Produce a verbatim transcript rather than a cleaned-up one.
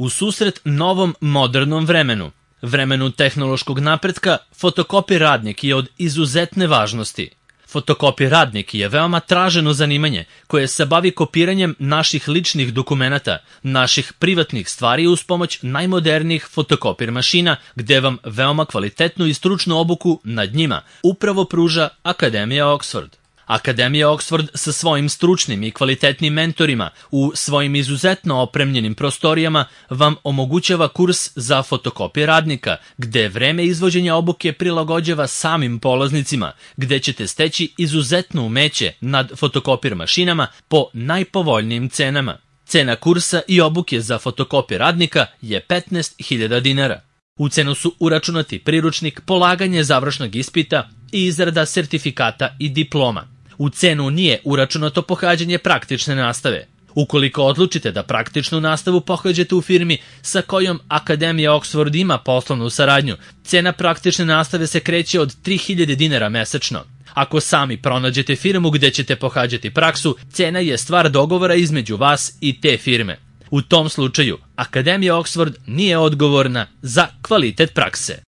U susret novom modernom vremenu, vremenu tehnološkog napretka, fotokopi radnik je od izuzetne važnosti. Fotokopi radnik je veoma traženo zanimanje koje se bavi kopiranjem naših ličnih dokumenata, naših privatnih stvari uz pomoć najmodernijih fotokopir mašina, gde vam veoma kvalitetnu i stručnu obuku nad njima upravo pruža Akademija Oxford. Akademija Oxford sa svojim stručnim i kvalitetnim mentorima u svojim izuzetno opremljenim prostorijama vam omogućava kurs za fotokopije radnika, gde vreme izvođenja obuke prilagođava samim polaznicima, gde ćete steći izuzetno umeće nad fotokopir mašinama po najpovoljnijim cenama. Cena kursa i obuke za fotokopije radnika je petnaest hiljada dinara. U cenu su uračunati priručnik, polaganje završnog ispita i izrada sertifikata i diploma. U cenu nije uračunato pohađanje praktične nastave. Ukoliko odlučite da praktičnu nastavu pohađate u firmi sa kojom Akademija Oxford ima poslovnu saradnju, cena praktične nastave se kreće od tri hiljade dinara mesečno. Ako sami pronađete firmu gde ćete pohađati praksu, cena je stvar dogovora između vas i te firme. U tom slučaju, Akademija Oxford nije odgovorna za kvalitet prakse.